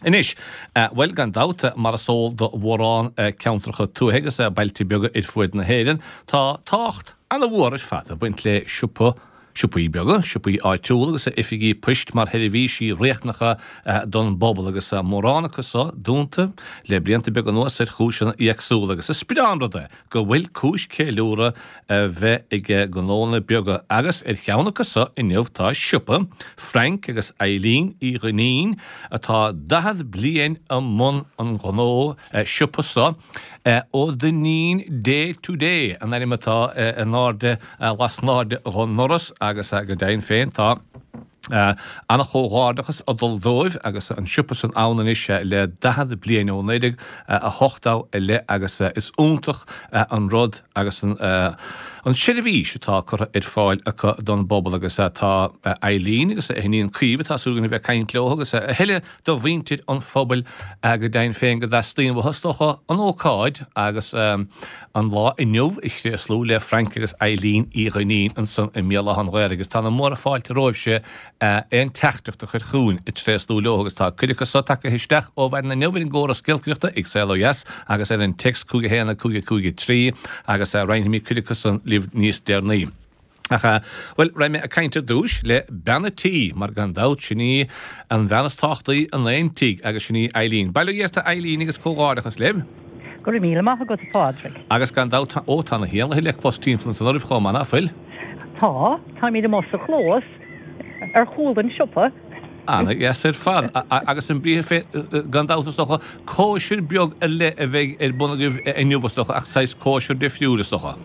Anois, bhuel, gan dabht, mar is eol do mhórán ceantracha tuaithe agus bailte beaga ar fuaid na hÉireann, tá tábhacht ana-mhór ar fad ag baint le siopa, siopaí beaga, siopaí áitiúla agus oifigí poist mar sheirbhísí riachtanacha don bpobal agus mórán acu so dúnta le blianta beaga anuas ar chúiseanna éagsúla agus is breá an rud é go bhfuil cúis ceiliúradh a bheith ag gnónna beaga agus ar cheann acu so inniu tá siopa Frank agus Eileen Uí Dhuinnín atá 40 bliain i mbun an ghnó siopa so, Ó Duinnín Day to Day an ainm atá in airde lasnairde dhon ndoras agus go deimhin féin tá Ana-chomhghairdeachas ag dul dóibh agus an siopa san ann anois le 40 bliain, ó 1980 i leith agus is iontach an rud agus an seirbhís atá curtha ar fáil acu don bpobal agus tá Eileen agus a hiníon Caoimhe, tá súil againn a bheith ag caint leo agus a thuilleadh de mhuintir an phobail go deimhin féin go dteastaíonn uathu, is dócha, an ócáid agus an lá inniu a thréaslú le Frank agus Eileen Uí Dhuinnín ansan i mBéal Átha an Ghaorthaidh agus tá na móra fáilte romhaibhse aon teachtaireacht a chur chugainn ag tréaslú leo agus tá cuid acu so tagtha isteach ó mhaidin inniu ar an gcóras giolcaireachta ag Saol Ó Dheas agus ar an téacs 5 1 5 5 3 agus roinnfimid cuid acu san libh níos deireanaí. Ach, bhuel, raibh mé ag caint ar dtúis le bean a' tí, mar gan dabht, sin í an bhean is tábhachtaí in aon tigh, agus sin í Eileen. Bail ó Dhia ort a Eileen agus comhghairdeachas libh. Go raibh míle maith agat, a Phádraig. Agus gan dabht, tá, ó, tá na héanlaithe le clos timpeall ansan oraibh chomh maith, ná fuil? Tá, táimid amuigh sa chlós, ar chúl an tsiopa. Ana-dheas ar fad. Agus an briathar féin, gan dabht is dócha, cóisir beag ar leith a bheidh ar bun agaibh inniu is dócha, ach saghas cóisir difriúil is dócha.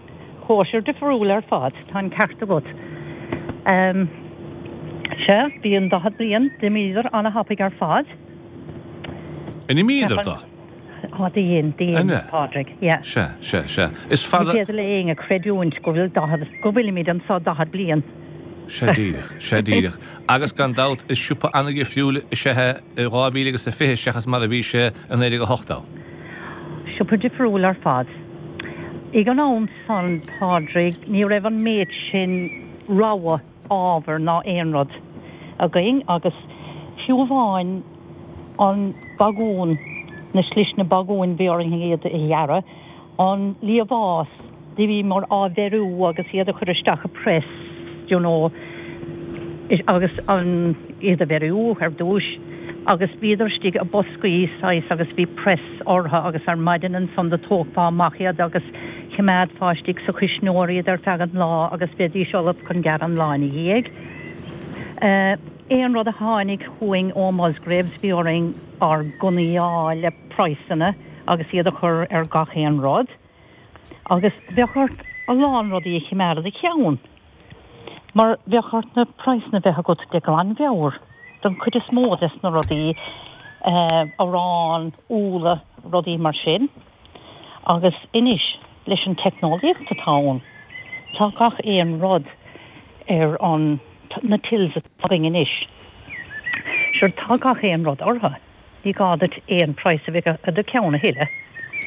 Cóisir difriúil ar fad, tá an ceart agat. Sea, bhí an 40 bliain, d'imíodar ana-thapaidh ar fad. An imíodar do? Á, do dhein, do dhein, Pádraig, yeah. Sea, sea, sea. Is fada. Ní féidir le éinne creidiúint go bhfuil 40, go bhfuilimid anso 40 bliain. Sea díreach, sea díreach. Agus gan dabht, is siopa ana-dhifriúil is ea é i 2020 seachas mar a bhí sé i 1980. Siopa difriúil ar fad. Ag an am san, Pádraig, ní raibh an méid sin rogha ábhair ná aon rud againn agus fiú amháin an bagún, na sliseanna bagúin, bhí orainn iad a ghearradh, an liamhás, do bhíomar á bheiriú agus iad a chur isteach i press, you know, agus an, iad a bheiriú ar dtúis agus bhíodar istigh i boscaí saghas agus bhí press orthu agus ar maidin ansan do tógfá amach iad agus choimeádfá istigh sa chuisneoir iad ar feadh an lá agus bheidís ullamh chun gearradh an lá ina dhiaidh. Aon rud a tháinig chugainn ó Musgraves bhí orainn ár ngunnaí a fháil le praghsanna agus iad a chur ar gach aon rud agus bheadh ort a lán rudaí a choimeád i do cheann mar bheadh ort na praghsanna a bheith agat de ghlanmheabhair don chuid is mó des na rudaí, arán, úlla, rudaí mar sin. Agus anois leis an teicneolaíocht atá ann, tá gach aon rud ar an, na tills atá againn anois, sure tá gach aon rud orthu. Ní gá duit aon praghas a bheith i do cheann a thuilleadh.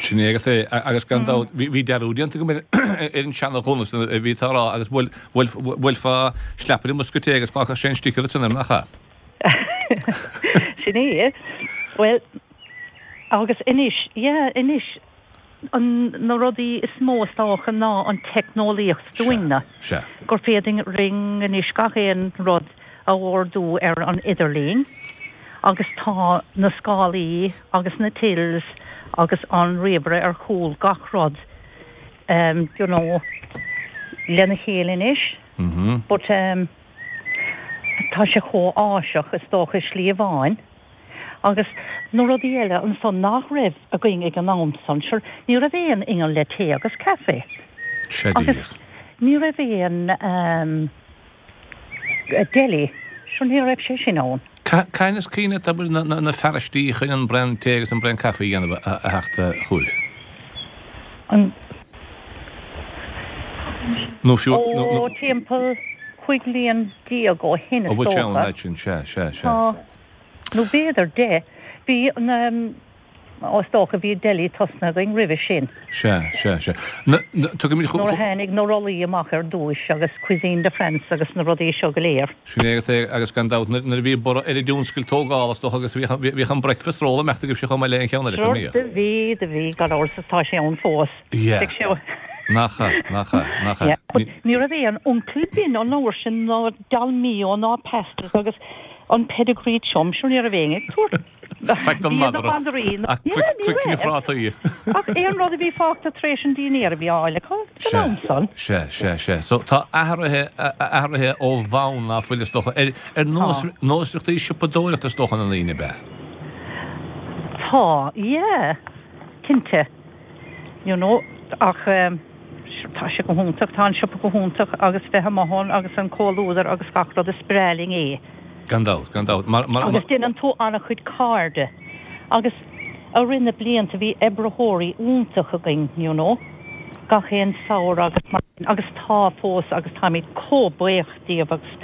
Sin é agat é. Agus gan dabht, bhí dearúd déanta agam ar an seana-ghunna san a bhí tú a rá agus bhuailfeá sleapaire i mbosca tae agus fágfadh sé an sticker ansan air, nach ea? Sin é. Bhuel, agus anois, yeah, anois, an, na rudaí is mó is dócha ná an teicneolaíocht dúinne. Sea. Gur féidir linn anois gach aon rud a ordú ar an idirlíon agus tá na scálaí agus na tills agus an ríomhaire ar chúl gach rud you know lena chéile anois. But tá sé chomh áiseach is dócha i slí amháin. Agus na rudaí eile ansan nach raibh againn ag an am san, sure, ní raibh aon inneall le tae agus caife. Sea Agus díreach. ní raibh aon deli, sure ní raibh sé sin ann. Cathain is cuimhin leat abair na fearaistí chun an braon tae agus an braon caife a dhéanamh a theacht chugaibh? An. Nó fiú, nó, Ó, timpeall 15 bliain ó shin is Ó bhfuil sé ann dócha. an fhad sin, sea, sea, sea. Tá. Nó b'fhéidir 10. Bhí an. Is dócha bhí deli tosnaithe againn roimhe sin. Sea, sea, sea. Na, na, tugaimid chu, Nuair a tháinig na rollaí amach ar dtúis agus cuisine de France agus na rudaí seo go léir. Sin é agat é agus gan dabht nuair a bhí borradh ar an dtionscal tógála is dócha agus bhíodh, bhíodh an breakfast roll ag imeacht agaibhse chomh maith le aon cheann eile, Sure, do bhí, do bhí, gan amhras is tá sé ann fós. Yeah. Beidh sé. Nach ea, nach ea, nach ea. Yeah, but ní raibh aon Uncle Ben an uair sin ná Dolmio ná pastas agus an Pedigree Chum, sure ní raibh éinne ag tabhairt Faic don madra. Ach cnoic na phrátaí. Ach aon rud a bhí fágtha tar éis an dinnéir a bhí á fháil acu san am san. Sea, sea, sea. So tá athruithe, athruithe ó bhonn ná fuil is dócha ar, ar nós, nósmhaireachtaí siopadóireachta is dócha na ndaoine, ab ea? Tá, yeah, cinnte. You know, ach tá sé go hiontach, tá an siopa go hiontach agus bheith amuigh ann agus an comhluadar agus gach rud, is breá linn é. Gan dabht, gan dabht. Mar, mar, Agus déanann tú an-chuid cairde. Agus i rith na blianta bhí oibritheoirí iontach againn, you know, gach aon samhradh agus mar sin, agus tá fós agus táimid chomh buíoch díobh agus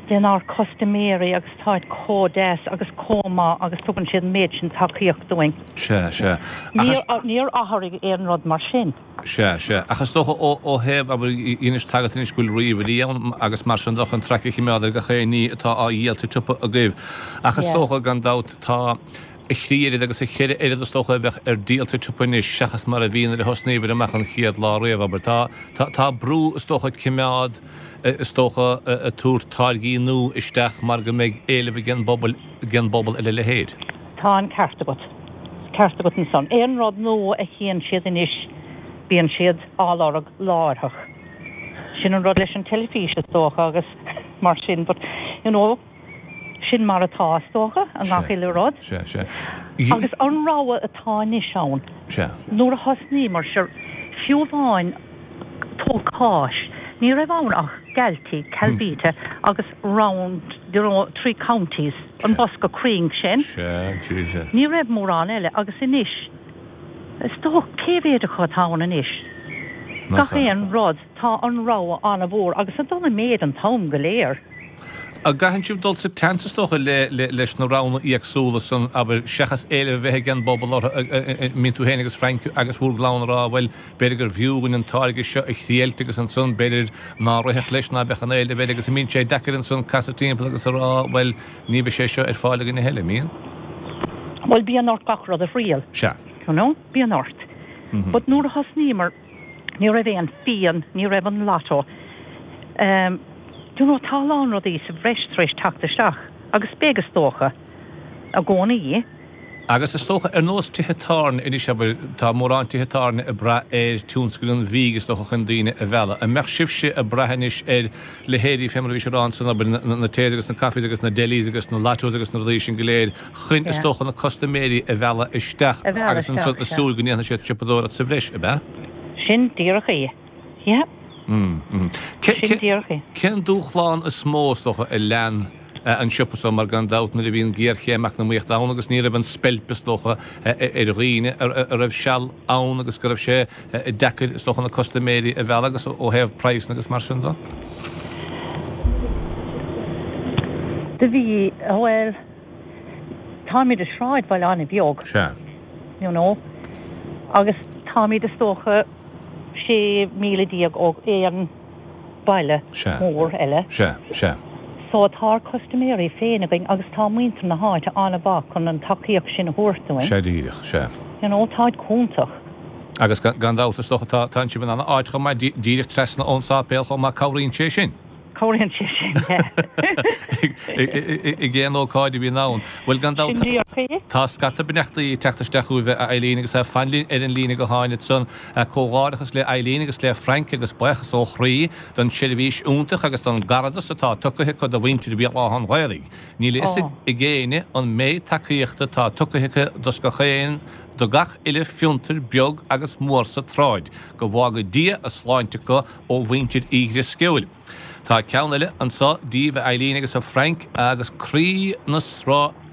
denár custaiméirí agus táid chomh deas agus chomh maith agus tugann siad an méid sin tacaíocht dúinn. Sea, sea. Ach is. Níor athraigh aon rud mar sin. Sea, sea. Ach is dócha ó, ó thaobh, abair, anois tá agat anois go bhfuil ríomhairí ann agus mar sin de chun traic a choimeád ar gach aon ní atá á dhíol sa tsiopa agaibh. Ach is dócha, gan dabht, tá a thrí oiread agus a cheithre oiread is dócha a bheadh ar díol sa tsiopa anois seachas mar a bhí nuair a thosnaíobhair amach an chéad lá riamh, abair. Tá, tá, tá brú is dócha cimeád, is dócha, ag tabhairt táirgí nua isteach mar go mbeidh éileamh ag an bpobal, ag an bpobal ar a leithéid. Tá an ceart agat. Ceart agat ansan. Aon rud nua a chíonn siad anois bíonn siad á lorg láithreach. Sin an rud leis an teilifís is dócha agus mar sin but you know sin mar atá is dócha i ngach uile rud. Sea, sea. Agus an rogha atá anois ann. Sea. Nuair a thosnaíomar, sure, fiú amháin tóg cáis, ní raibh ann ach Galtee, Calvita agus Round, you know, Three Counties. an bosca cruinn sin. Sea, sea, sea. Ní raibh mórán eile agus anois, is dócha, cé mhéad acu atá ann anois? Gach aon rud, tá an rogha an-mhór agus ag dul i méid an t-am go léir. An gcaitheann sibh dul sa tseans is dócha le, le, leis na roghanna éagsúla san, abair, seachas éileamh a bheith ag an bpobal orthu, an mbíonn tú féin agus Frank agus bhur gclann ag rá, bhuel, b'fhéidir gurbh fhiú dhúinn an táirge seo a thriailt agus ansan b'fhéidir ná rithfeadh leis ná beadh an éileamh air agus an mbíonn sé deacair ansan casadh timpeall agus a rá, bhuel, ní bheidh sé seo ar fáil againn a thuilleadh, an mbíonn? Bhuel, bíonn ort gach rud a thriail. Sea. You know, bíonn ort. But nuair a thosnaíomar, Ní raibh aon fíon, ní raibh an lotto. Do you know, tá a lán rudaí sa bhreis tar éis teacht isteach agus beidh is dócha, i gcónaí. Agus is dócha, ar nós tithe tábhairne anois, abair, tá mórán tithe tábhairne ag brath ar tionscal an bhídh is dócha chun daoine a mhealladh. An mbeadh sibhse ag brath anois ar leithéidí, fé mar a bhís ag rá ansan, abair, na taes agus na coffees agus na delis agus na lottos agus na rudaí sin go léir chun, is dócha, na custaiméirí a mhealladh isteach agus ansan ag súil go ndéanfaidh siad siopadóireacht sa bhreis, ab ea? Sin díreach é. Yeah. Sin díreach é. Cén dúshlán is mó, is dócha, a lean an siopa so mar gan dabht nuair a bhí an ghéarchéim eacnamaíochta ann agus ní raibh an speilp is dócha ar dhaoine a raibh seal ann agus go raibh sé deacair is dócha na custaiméirí a mhealladh agus ó thaobh praghsanna agus mar sin de? Do bhí, bhuel, táimid i sráidbhaile an-bheag. Sea. You know. Agus táimid is dócha 16 míle ó aon baile mór eile. Sea, sea. So tá ár custaiméirí féin againn agus tá muintir na háite an-mhaith chun an tacaíocht sin a thabhairt dúinn. Sea díreach, sea. You know, táid iontach. Agus gan dabht is dócha tá, tánn sibh in an-áit chomh maith, díreach trasna ón sáipéal chomh maith, cabhraíonn sé sin. Cabhraíonn sé sin, yeah. Ag aon ócáid a bhíonn ann. Bhuel, gan dabht, Sin díreach é. tá scata beannachtaí ag teacht isteach chugaibh, a Eileen, agus fan linn ar an líne go háin ansan. Comhghairdeachas le Eileen agus le Frank agus buíochas ó chroí don tseirbhís iontach agus don gcaradas atá tugtha acu do mhuintir Bhéal Átha an Ghaorthaidh. Níl a fhios ag éinne an méid tacaíochta atá tugtha acu dos gach aon do gach uile fiontar beag agus mór sa tsráid. Go bhfága Dia a sláinte acu ó mhuintir Uí Dhrisceoil. Tá ceann eile anso díbh a Eileen agus a Frank agus croí na.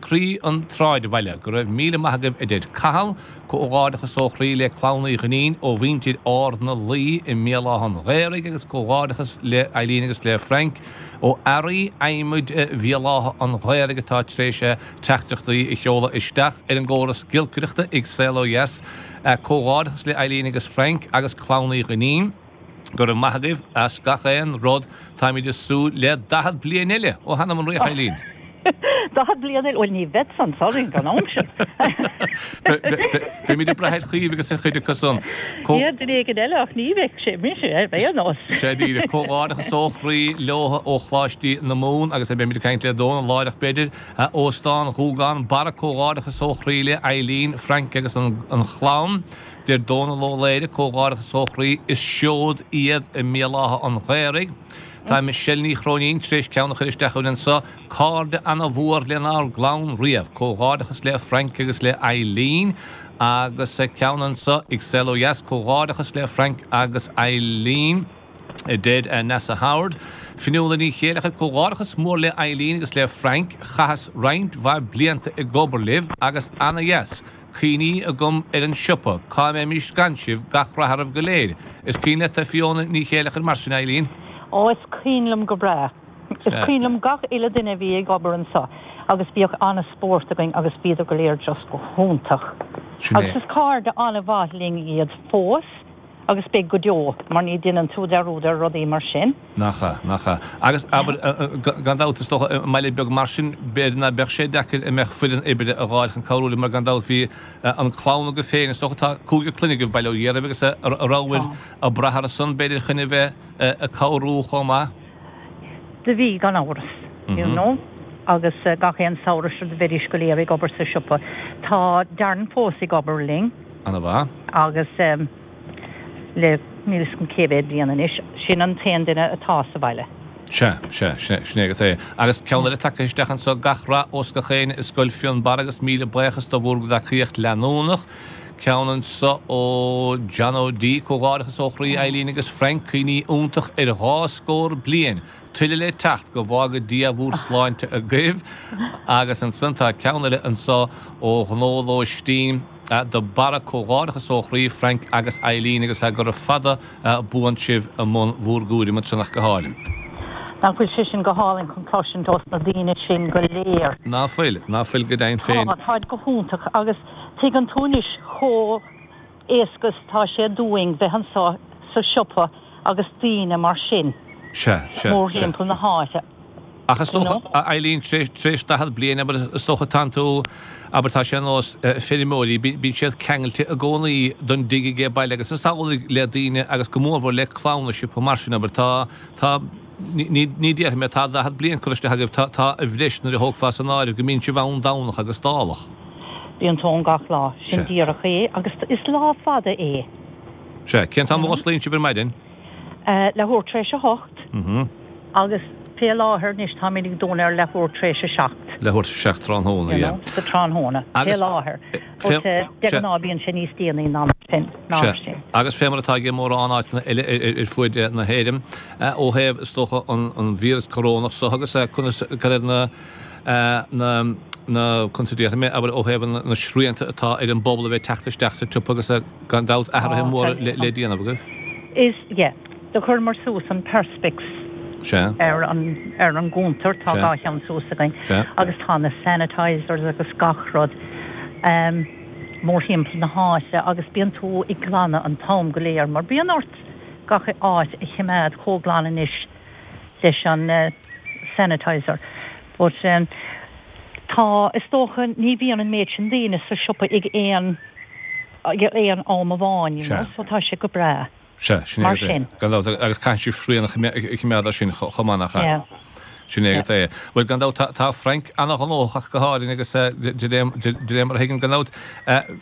Croí an tsráidbhaile. Go raibh míle maith agaibh a deir Cathal. Comhghairdeachas ó chroí le Clann Uí Dhuinnín ó mhuintir Ard na Laoi i mBéal Átha an Ghaorthaidh agus comhghairdeachas le Eileen agus le Frank ó Earraí Adhmaid Bhéal Átha an Ghaorthaidh atá tar éis teachtaireachtaí a sheoladh isteach ar an gcóras giolcaireachta ag Saol Ó Dheas. Comhghairdeachas le Eileen agus Frank agus Clann Uí Dhuinnín. Go raibh maith agaibh as gach aon rud. Táimid ag súil le 40 bliain eile! Ó th'anam 'on Fhraoch, Eileen. 40 bliain eile? Bhuel, ní bheadsa anso ag an am sin. Beimid ag brath ar Chaoimhe agus ar chuid acu san. Yeah, duine éigin eile ach ní bheidh sé mise ar aon nós. Sea díreach. Comhghairdeachas ó chroí leo ó Choláiste na Mumhan agus beimid ag caint le Dónal láithreach b'fhéidir. Óstán Ghúgán Barra Comhghairdeachas ó chroí le Eileen, Frank agus an chlann. Deir Dónal Ó Laoire, Comhghairdeachas ó chroí, is seod iad i mBéal Átha an Ghaorthaidh. Tá Michelle Ní Chróinín tar éis ceann a chur isteach chugainn anso, Cairde ana-mhór lenár gclann riamh. Comhghairdeachas le Frank agus le Eileen. Agus ceann anso ag Saol Ó Dheas, Comhghairdeachas le Frank agus Eileen. a deir Neasa Howard. Fionnuala Ní Chéileachair, Comhghairdeachas mór le Eileen agus le Frank, chaitheas roinnt mhaith blianta ag obair libh agus ana-dheas cuimhní agam ar an siopa, cá mbeimis gan sibh, gach rath oraibh go léir. Is cuimhin leat Fiona Ní Chéileachair mar sin, Eileen? Ó, is cuimhin liom go breá. Is cuimhin liom gach uile duine a bhí ag obair anso agus bhíodh an-spórt againn agus bhíodar go léir just go hiontach. Agus is cairde an-mhaith linn iad fós. Agus beidh go deo, mar ní deineann tú dearúd ar rudaí mar sin. Nach ea, nach ea. Agus, abair, gan dabht, is dócha, i mbaile beag mar sin, b'fhéidir ná beadh sé deacair a mbeadh foireann oibre a dh'fháil chun cabhrú libh, mar gan dabht bhí an clann agaibh féin, is dócha, tá cúigear clainne agaibh, bail ó Dhia oraibh, agus a rabhabhair ag brath orthu san, b'fhéidir, chun a bheith ag cabhrú chomh maith. Do bhí, gan amhras, you know, agus gach aon samhradh seo do bheidís go léir ag obair sa siopa. Tá Darren fós ag obair linn. Ana-mhaith. Agus le níl 'fhios agam cé mhéad bliain anois, sin an t-aon duine atá sa bhaile. Sea, sea, sin é agat é. Agus ceann eile tagtha isteach anso, gach rath ós gach éinne i Scoil Fionnbarra agus míle buíochas do bhúr dtacaíocht leanúnach. Ceann anso ó John O'D, comhghairdeachas ó chroí Eileen agus Frank, cuimhní iontach ar dhá scór bliain. Tuilleadh le teacht, go bhfága Dia bhúr sláinte agaibh. Agus ansan tá ceann eile anso ó Ghnó Lóistín de Barra, Comhghairdeachas ó chroí Frank agus Eileen agus gura fada buan sibh i mbun bhúr gcúraim ansan ach go hálainn. Nach bhfuil sé sin go hálainn chun cloisint ós na daoine sin go léir. Ná fuil, ná fuil go deimhin féin. Tá, táid go hiontach agus tuigeann tú anois chomh éasca is atá sé dúinn bheith anso sa siopa agus daoine mar sin Sea, sea, sea. mórthimpeall na háite. Ach is dócha, a Eileen, tar éis 40 bliain, abair, is dócha tánn tú, abair, tá sé ar nós feirmeoirí, bíonn siad ceangailte i gcónaí don dtigh age baile agus is amhlaidh le daoine agus go mórmhór le clann i siopa mar sin, abair, tá, tá, ní, ní déarfaidh mé, tá 40 bliain curtha isteach agaibh, tá, tá a bhreis nuair a thógfá san áireamh go mbíonn sibh ann Domhnach agus Dálach. Bíonn tú ann gach lá, sin díreach é agus is lá fada é. Sea. Cén t-am a osclaíonn sibh ar maidin? Leathuair tar éis a hocht agus fé láthair anois táimid ag dúnadh ar leathuair tar éis a seacht. Leathuair tar éis a seacht tráthnóna, yeah. Sa tráthnóna, fé láthair. But de ghnáth bíonn sé níos déanaí ná sin. Sea. Agus fé mar atá ag mórán áiteanna eile ar fuaid na hÉireann, ó thaobh, is dócha, an víreas corónach so agus conas, cad iad na, na, na, conas a déarfaidh mé, abair, ó thaobh na srianta atá ar an bpobal a bheith ag teacht isteach sa tsiopa agus gan dabht athruithe móra le déanamh agaibh. Is, yeah. Do chuireamar suas an perspex Sea. ar an, ar an gcuntar, tá Sea. dhá cheann suas againn Sea. agus tá na sanitizers agus gach rud ehm mórthimpeall na háite agus bíonn tú ag glanadh an t-am go léir mar bíonn ort gach áit a chimeád chomh glan anois leis an sanitizer but ehm tá, is dócha ní bhíonn an méid sin daoine sa siopa ag aon ag aon am amháin, you know, so tá sé go breá. Sea, sin é Mar agat é. sin. Gan dabht, agus caithfidh sibh srian a choimeád air sin chomh maith, nach ea? Yeah. Sin é agat é. Bhuel, gan dabht, tá, tá Frank ana-ghnóthach ach go háirithe agus de réir, de réir mar a thuigim, gan dabht,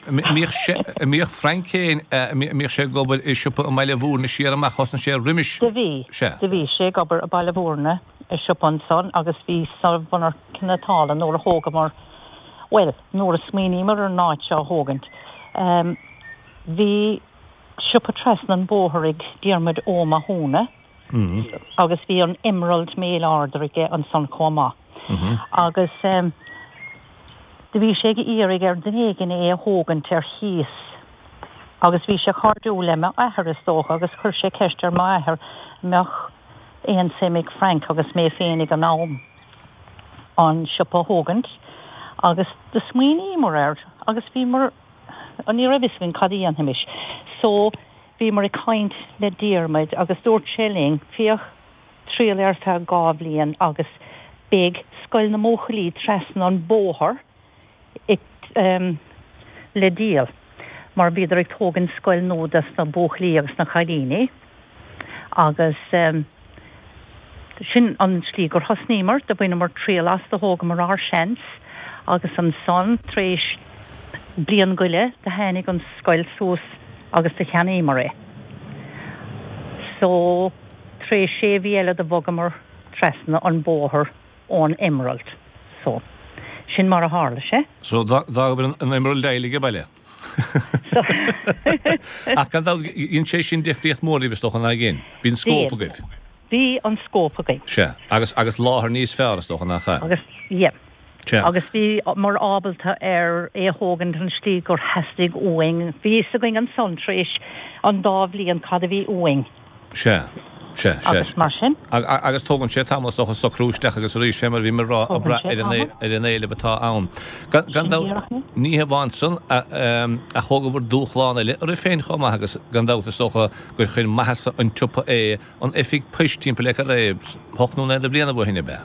mbíodh sé, mbíodh Frank féin, mbíodh sé ag obair i siopa i mBaile Bhúirne siar amach, thosnaigh sé roimis. Do bhí. Sea. Do bhí sé ag obair i Baile Bhúirne i siopa ansan agus bhí sa mhonarcha cniotála nuair a thógamar, bhuel, nuair a smaoiníomar ar an áit seo a thógaint, bhí siopa trasna an bhóthair ag Diarmuid Ó Mathúna agus bhí an Emerald Mail Order aige ansan chomh maith. Agus. Do bhí sé ag iarraidh ar duine éigin é a thógaint ar chíos agus bhí sé cairdiúil le m'athair is dócha agus chuir sé ceist ar m'athair an mbeadh aon suim ag Frank agus mé féin ag an am an siopa a thógaint agus do smaoiníomar air agus bhíomar, ní raibh fhios againn cad a dhéanfaimis so bhíomar ag caint le Diarmuid agus dúirt sé linn féach triail ar feadh 2 bhliain agus beidh scoil na mbuachaillí trasna an bóthar le díol mar bhíodar ag tógaint scoil nua dos na buachaillí agus na cailíní agus sin an slí gur thosnaíomar, do bhaineamar triail as, do thógamar ár seans agus ansan tar éis bliain go leith do tháinig an scoil suas agus do cheannaíomar é. So. Tar éis sé mhí eile do bhogamar trasna an bóthar ón Emerald. So, sin mar a tharla sé. So, d'fhágabhair an Emerald uilig ag baile. So. Ach gan dabht, dhein sé sin difríocht mhór daoibh is dócha, nach dhein? Bhí an scóip agaibh. Bhí an scóip againn. Sea. Agus, agus láthair níos fearr is dócha, nach ea? Agus, yeah. Sea. Agus bhíomar ábalta ar é a thógaint an slí gur theastaigh uainn. Bhí fhios againn ansan tar éis an dá bhliain cad a bhí uainn. Sea. Sea, sea. Agus mar sin. Agus tógann sé tamall is dócha socrú isteach agus arís fé mar a bhí mé ag rá ag brath ar an ar an éileamh atá ann. Gan dabht, ní hamháin san ach thógabhair dúshlán eile oraibh féin chomh maith agus gan dabht is dócha gur chuir maitheasa an tsiopa é an oifig poist timpeall le cad é, hocht nó naoi de bhliana ó shin, ab ea?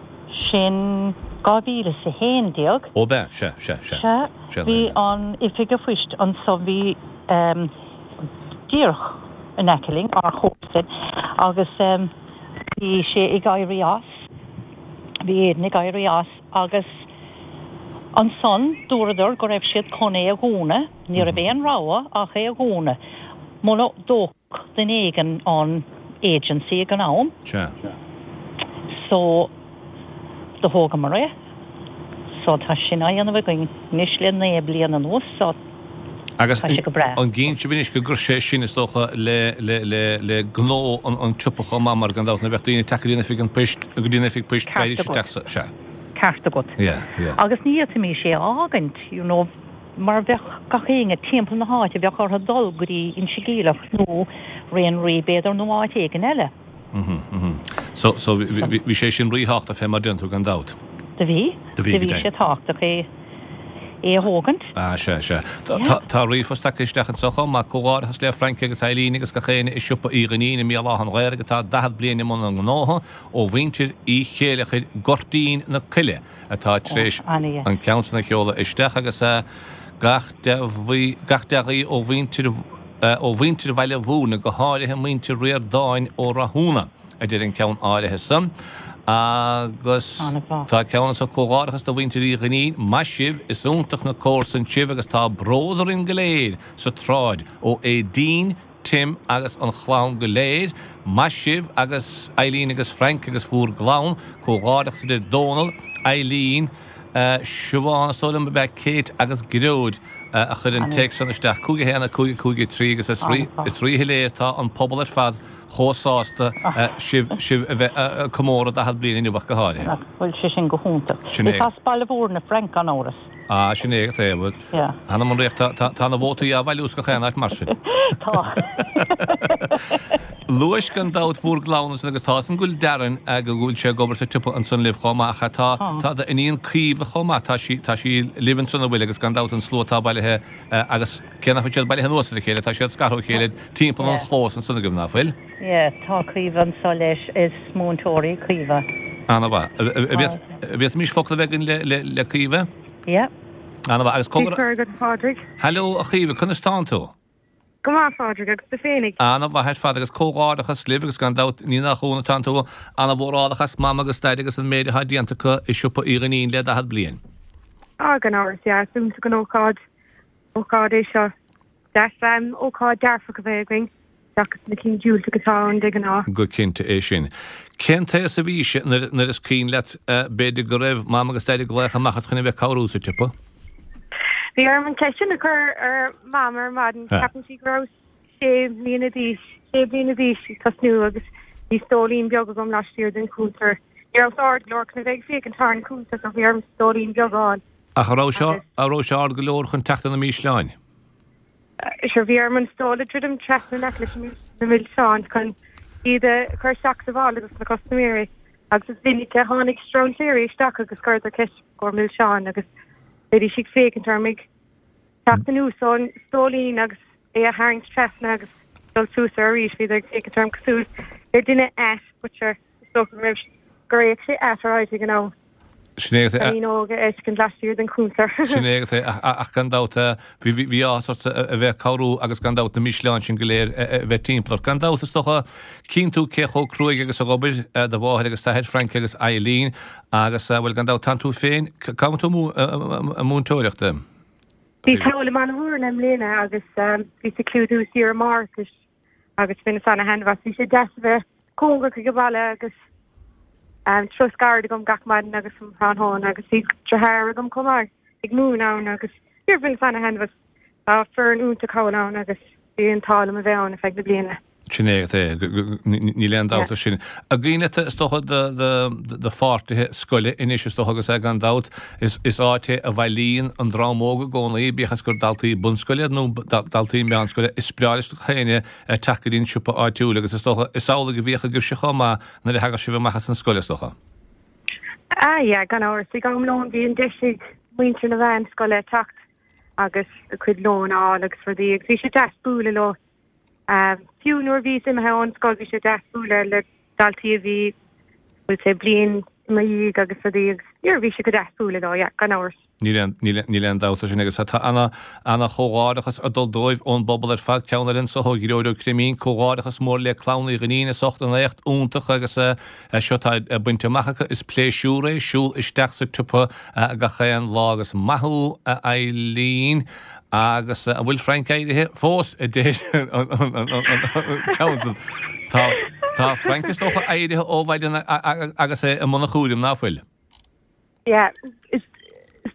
Sin 2011. Ó b'ea, sea, sea, sea. Sea, bhí an oifig a phoist anso, bhí díreach in aice linn, ár chomharsain, agus bhí sé ag éirí as, bhí Aidan ag éirí as agus ansan dúradar go raibh siad chun é a dhúnadh, ní raibh aon rogha ach é a dhúnadh muna dtógfadh duine éigin an agency ag an am. Sea. So do thógamar é. So tá sin á dhéanamh againn anois le 9 bliana anuas so Agus tá sé go breá. an gcíonn sibh anois go gcuir sé sin is dócha le le le le gnó an an tsiopa chomh maith mar gan dabht nuair a bheadh daoine ag teacht go dtí an oifig an poist go dtí an oifig poist Ceart beidís agat. isteach sa sea. Ceart agat. Yeah, yeah. Agus ní fhéadfaimis é a fhágaint you know mar bheadh gach éinne timpeall na háite bheadh orthu dul go dtí Inse Geimhleach nó Ré an Rí b'fhéidir nó áit éigin eile. So, so bhí sé sin ríthábhachtach fé mar deireann tú gan dabht. Do bhí. Do bhí, Do bhí sé tábhachtach é, é a thógaint. Ah, sea, sea. Tá, tá ríomhphost tagtha isteach anseo chomh maith. Comhghairdeachas le Frankie agus Eileen agus gach éinne i siopa Uí Dhuinnín i mBéal Átha an Ghaorthaidh atá 40 bliain i mbun a ngnótha ó mhuintir Uí Chéileachair Goirtín na Coille. atá tar éis an ceann san a sheoladh isteach agus gach gach dea-ghuí ó mhuintir ó mhuintir Bhaile Mhúirne, go háirithe muintir Ríordáin ó Rathúna, a deir an ceann áirithe san. Agus tá ceann anso, Comhghairdeachas do mhuintir Uí Dhuinnín, maith sibh, is iontach na comharsain sibh agus tá bród orainn go léir sa tsráid ó Aedín, Tim agus an chlann go léir, maith sibh agus Eileen agus Frank agus bhúr gclann, comhghairdeachas a deir Dónal, Eileen, Siobhán is dóigh liom ab ea Kate agus Gearóid a chuir an téacs san isteach, 5 1 5 5 3 agus is ríshoiléir tá an pobal ar fad chomh sásta sibh sibh a bheith ag comóradh 40 bliain inniu ach go háirithe. Nach bhfuil sé sin go hiontach. Sin é. Is as Baile Mhúirne Frank gan amhras. Ah, sin é agat é, bhuel, Yeah. Th'anam 'on ríocht, tá, tá, tá na vótaí á bhailiú as gach aon áit mar sin. Tá. Luais gan dabht bhúr gclann ansan agus tá 'fhios a'm go bhfuil Darren, go bhfuil sé ag obair sa tsiopa ansan libh chomh maith ach tá, Tá. tá d'iníon Caoimhe chomh maith, tá sí, tá sí libh ansan an bhfuil agus gan dabht an slua atá bailithe agus cé nach bhfuil siad bailithe anuas ar a chéile, tá siad scartha ó chéile timpeall an Yeah. chlós ansan agaibh, ná fuil? Yeah, tá Caoimhe anso leis, is múinteoir í Caoimhe. Ana-mhaith. An bhféadfaimis focal a bheith againn le Caoimhe? Yeah. Ana-mhaith. Agus Cé cur agat, a Phádraig? Hello, a Chaoimhe, conas tánn tú? Go maith, a Phádraig, agus tú féinig? Ana-mhaith ar fad agus comhghairdeachas libh agus gan dabht ní nach ionadh tánn tú ana-mhórálach as Mam agus Daid agus an méid atá déanta acu i siopa Uí Dhuinnín le 40 bliain. Ah, gan amhras, yeah, is iontach an ócáid, ócáid é seo. Deas ócáid dearfach a bheith againn seachas na cinn diúltach atá ann de ghnáth. Go cinnte é sin. Cén t-aos a bhís nuair is cuimhin leat b'fhéidir go raibh Mam agus Daid ag glaoch amach ort chun a bheith ag cabhrú sa tsiopa? Bhí orm an cheist sin a chur ar Mam ar maidin. Ceapann sí go rabhas sé mbliana d'aois, sé bliana d'aois ag tosnú agus bhí stóilín beag agam laistiar den chuntar. Ní rabhas ard go leor chun a bheith ag féachaint thar an chuntar so bhí orm stóilín beag a fháil. Ach an raibh sé, an raibh sé ard go leor chun teacht ar na mísleáin? Sure, bhí orm an stól a dhruidim trasna in aice leis na milseáin chun iad a chur isteach sa mhála dos na custaiméirí agus is minic a tháinig strainséirí isteach agus chuireadar ceist i gcomhair milseáin agus bhídís ag féachaint orm ag teacht anuas ón stóilín agus é a tharraingt trasna agus dul suas air arís, bhíodar ag féachaint orm cosúil le duine ait but sure is dócha go raibh, gur fhéach sé ait alright ag an am. Sin é Cailín óg a fheiscint laistiar den chuntar. Sin é agat é, ach gan dabht bhí áthas ort a bheith ag cabhrú agus gan dabht na mísleáin sin go léir a bheith timpeall ort. Gan dabht is dócha, cíonn tú cé chomh cruaidh agus a dh'obair do mháthair agus d'athair, Frank agus Eileen, agus bhuel gan dabht tánn tú féin, cá bhfuil tú ag múinteoireacht? Bhíos thall i mBaile Mhúirne i mbliana agus bhíos ag clúdú saoire máithreachais agus bhaineas ana-thaitneamh as. Bhí sé deas a bheith cóngarach ag an bhaile agus turas gairid agam gach maidin agus um thráthnóna agus bhí deartháir agam chomh maith ag múineadh ann agus níor bhaineas ana-thaitneamh as. Tá foireann iontach thall ann agus bhí an t-ádh liom a bheith ann ar feadh na bliana. Sin é agat é, níl aon dabht air sin. An cuimhin leat, is dócha, do pháirtithe scoile anois, is dócha, agus é gan dabht, is áit é a bhailíonn an dream óg i gcónaí, bíodh is gur daltaí bunscoile iad nó daltaí meánscoile, is breá leis gach éinne teacht go dtí an siopa áitiúil agus is dócha, is amhlaidh a bhíodh agaibhse chomh maith nuair a thagadh sibh amach as an scoil, is dócha. Ah yeah, gan amhras. Ag am lóin bhí an deis ag muintir na meánscoile teacht agus a cuid lóin a fháil agus rudaí agus bhí sé deas bualadh leo. Fiú nuair a bhíos imithe ón scoil bhí sé deas bualadh le daltaí a bhí, bhuel say, bliain i mo dhiaidh agus rudaí agus yeah bhí sé go deas bualadh leo, yeah, gan amhras. Níl aon, níl, níl aon dabht air sin agus tá ana, ana chomhghairdeachas ag dul dóibh ón bpobal ar fad. Ceann eile anso ó Ghearóid Ó Creimín, comhghairdeachas mór le Clann Uí Dhuinnín as ucht an éacht iontach agus seo atá bainte amach acu. Is pléisiúr é siúl isteach sa tsiopa gach aon lá agus maith thú a Eileen. Agus an bhfuil Frank éirithe fós, a deir an ceann san. Tá, tá Frank is dócha éirithe ó mhaidin agus é i mbun a chúraim, ná fuil? Yeah, is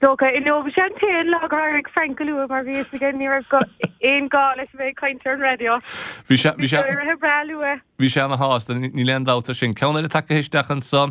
dócha. Inniu bhí sé an t-aon lá gur éirigh Frank go luath mar bhí fhios aige ní raibh aon gá leis a bheith ag caint ar an raidió. Bhí sé, bhí sé éirithe breá luath. Bhí sé ana shásta, níl aon dabht air sin. Ceann eile tagtha isteach anso,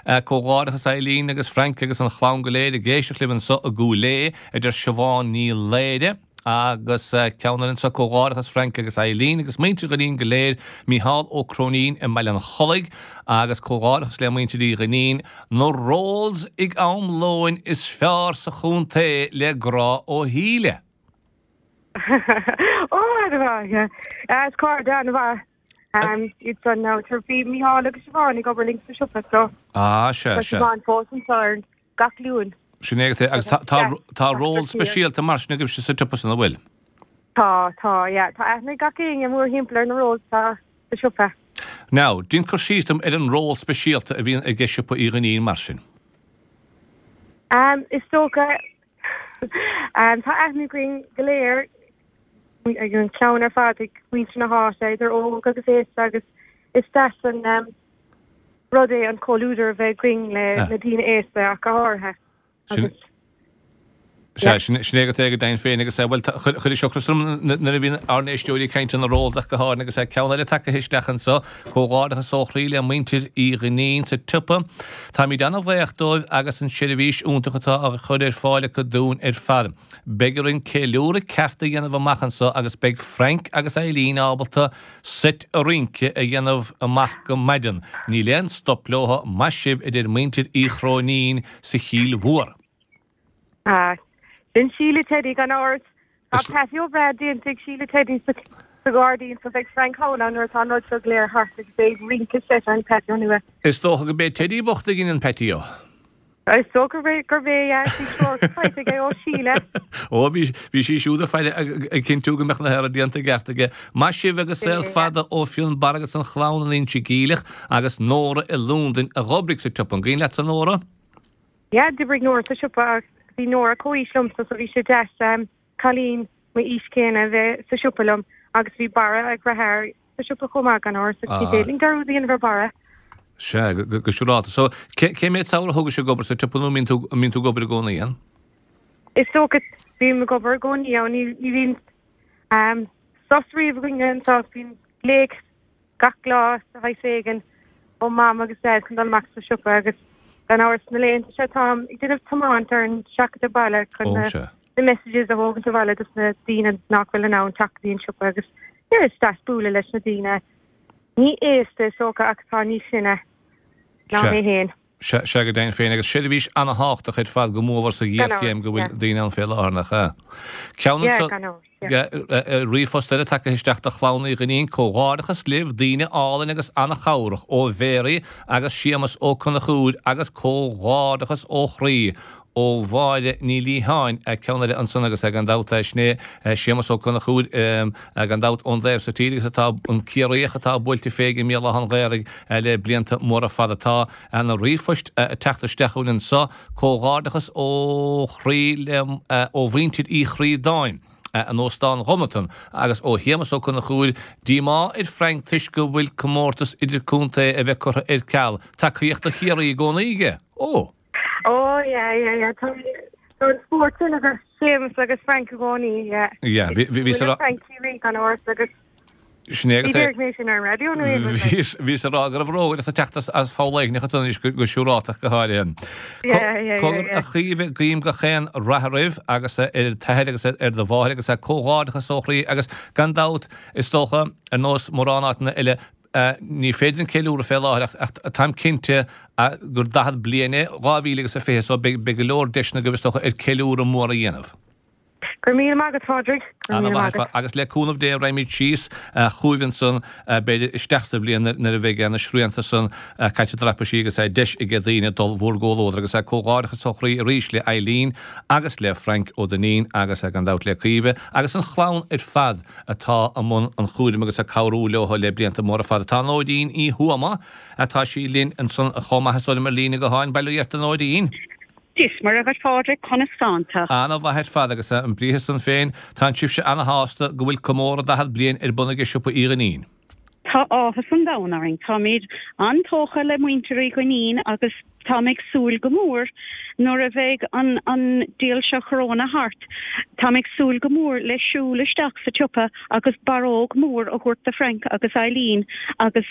comhghairdeachas Eileen agus Frank agus an chlann go léir ag éisteacht libh anso i gCúil Aodha, a deir Siobhán Ní Laoire. Agus ceann eile anso, comhghairdeachas Frank agus Eileen agus muintir Dhuinnín go léir, Mícheál Ó Cróinín i mBaile an Chollaigh agus comhghairdeachas le muintir Uí Dhuinnín, na rolls ag am lóin is fearr sa chontae le grá ó Shíle. Ó, an-mhaith, yeah. Is cairde an-mhaith iad san now. Bhí Mícheál agus Siobhán ag obair linn sa siopa so. Ah, sea, sea. Tá Siobhán fós anseo ar gach Luan. Sin é agat é. Agus tá ról speisialta mar sin agaibhse sa tsiopa san, an bhfuil? Tá, tá, yeah. Tá aithne ag gach éinne mórthimpeall ar na rolls atá sa siopa. Now, déan cur síos dom ar an ról speisialta a bhíonn ag Siopa Uí Dhuinnín mar sin. Is dócha, tá aithne againn go léir, ag an chlann ar fad, ag muintir na háite, idir óg agus aosta agus is deas an rud é an comhluadar a bheith againn le na daoine aosta ach go háirithe. Agus Sea, sin é agat é go deimhin féin agus, bhuel, chuir sé ocras orm nuair a bhíonn ár n-éisteoirí ag caint ar na rolls ach go háirithe agus ceann eile tagtha isteach anso, comhghairdeachas ó chroí le muintir Uí Dhuinnín sa tsiopa. Táimid an-bhaoch dóibh agus an seirbhís iontach atá á chur ar fáil acu dúinn ar fad. Beidh orainn ceiliúradh ceart a dhéanamh amach anso agus beidh Frank agus Eileen ábalta seit rince a dhéanamh amach go maidin. Níl aon stop leo, maith sibh, a deir muintir Uí Chróinín sa Chill Mhór. Ah, sin Síle Teddy gan amhras. Tá patio breá déanta ag Síle Teddy sa ghairdín so beidh Frank thall ann nuair atá an rud seo go léir thart agus é ag rince seit ar an patio nua. Is dócha go b'é Teddy bocht a dhein an patio. Is dócha gurb é, yeah, bhí treoir faighte aige ó Shíle. Ó, bhí, bhí sí siúd ag faire ag cinntiú go mbeadh na hearraí déanta i gceart aige. Maith sibh agus saol fada ó Fionnbarra agus an chlann in Inse Geimhleach agus Nóra i Londain a dh'oibrigh sa tsiopa. An cuimhin leatsa Nóra? Yeah, d'oibrigh Nóra sa siopa agus bhí Nóra comhaois liomsa so bhí sé deas cailín m'aois céanna a bheith sa siopa liom agus bhí Barra a dheartháir sa siopa chomh maith gan amhras agus ní féidir linn dearúd a dhéanamh ar Barra. Sea, go siúrálta. So, cé mhéad samhradh a thugais ag obair sa tsiopa nó an mbíonn tú, an mbíonn tú ag obair i gcónaí ann? Is dócha, bím ag obair i gcónaí ann, ní, ní bhíonn sos riamh againne anseo, bíonn glaoch gach lá de shaghas éigin ó Mam agus Daid chun dul amach sa siopa agus. Gan amhras na laethanta seo táim ag déanamh tiomáint ar an seachadadh baile chun na na messages a thógaint abhaile dos na daoine nach bhfuil in ann teacht go dtí an siopa agus yeah is deas bualadh leis na daoine ní aosta is dócha ach atá níos sine ná mé féin. Sea, sea go deimhin féin agus seirbhís ana-thábhachtach ar fad go mórmhór sa ghéarchéim go bhfuil daoine ann fé láthair, nach ea? Ceann Yeah, gan amhras, yeah. Ríomhphost eile tagtha isteach do chlann Uí Dhuinnín, Comhghairdeachas libh, daoine álainn agus ana-chabhrach ó Mhéaraí agus Séamus Ó Conchúir agus comhghairdeachas ó chroí ó Mháire Ní Liatháin, ceann eile ansan agus gan dabht sin é Séamus Ó Conchúir gan dabht ón dtaobh so tíre agus atá an Ciarraíoch atá buailte fé i mBéal Átha an Ghaorthaidh le blianta móra fada. Tá na ríomhphoist ag teacht isteach chugainn anso. Comhghairdeachas ó chroí le ó mhuintir Uí Chríodáin in Óstán Ghobnatan agus ó Shéamus Ó Conchúir, díomá ar Frank toisc go bhfuil comórtas idirchontae a bheith curtha ar ceal. Tacaíocht do Chiarraí i gcónaí aige. Ó! Ó yeah yeah yeah tá tá an spórt sin ag Séamus agus Frank i gcónaí yeah. Yeah bhí bhí bhí sa Frank Ciarraí gan amhras agus Sin é agus é. Ní mé sin ar an raidió nó aon rud. Bhíos bhíos ag rá go raibh rógaireacht ag teacht as as Poll Eidhneach ansan anois go go siúráltach go háirithe. Yeah yeah yeah Cogar yeah. a Chaoimhe guím gach aon rath oraibh agus ar t'athair agus ar do mháthair agus comhghairdeachas ó chroí agus gan dabht is dócha ar nós mórán áiteanna eile Ní féidir an ceiliúradh fé láthair ach táim cinnte gur 40 bliain é 2020 so beidh go leor deiseanna agaibh is dócha ar ceiliúradh mór a dhéanamh. Go raibh míle maith agat, Phádraig. Go raibh míle maith agat. Agus le cúnamh Dé raghaimid síos chugaibh ansan b'fhéidir isteach sa bhliain nuair a bheidh na srianta san caite traipisí agus deis aige daoine dul bhúr gcomhluadar agus comhghairdeachas ó chroí arís le Eileen agus le Frank Ó Duinnín agus gan dabht le Caoimhe agus an chlann ar fad atá i mbun an chúraim agus ag cabhrú leo le blianta móra fada. Tá Nóirín Uí Thuama, atá sí linn ansan chomh maith is dóigh liom ar líne gutháin. Bail ó Dhia ort a Nóirín. Dia is Muire dhuit Phádraig, conas tánn tú? Ana mhaith ar fad agus an briathar san féin, tánn sibhse ana shásta go bhfuil comóradh 40 bliain ar bun aige Siopa Uí Dhuinnín. Tá áthas an domhain orainn. Táimid an-tógtha le muintir Uí Dhuinnín agus táim ag súil go mór nuair a bheidh an an diabhal seo Corona thart, táim ag súil go mór le siúl isteach sa tsiopa agus barróg mór a thabhairt do Frank agus Eileen agus